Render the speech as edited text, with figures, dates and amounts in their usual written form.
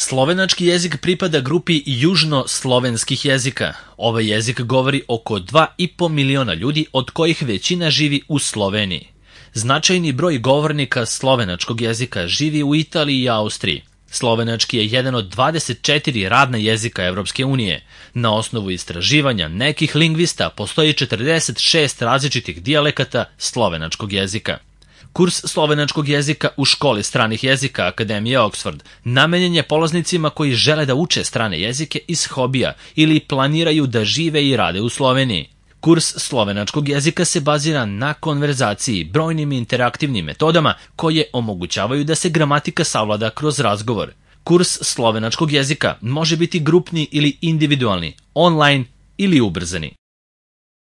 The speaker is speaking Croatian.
Slovenački jezik pripada grupi južnoslovenskih jezika. Ovaj jezik govori oko 2,5 miliona ljudi, od kojih većina živi u Sloveniji. Značajni broj govornika slovenačkog jezika živi u Italiji i Austriji. Slovenački je jedan od 24 radna jezika Evropske unije. Na osnovu istraživanja nekih lingvista postoji 46 različitih dijalekata slovenačkog jezika. Kurs slovenačkog jezika u školi stranih jezika Akademije Oxford namenjen je polaznicima koji žele da uče strane jezike iz hobija ili planiraju da žive i rade u Sloveniji. Kurs slovenačkog jezika se bazira na konverzaciji, brojnim interaktivnim metodama koje omogućavaju da se gramatika savlada kroz razgovor. Kurs slovenačkog jezika može biti grupni ili individualni, online ili ubrzani.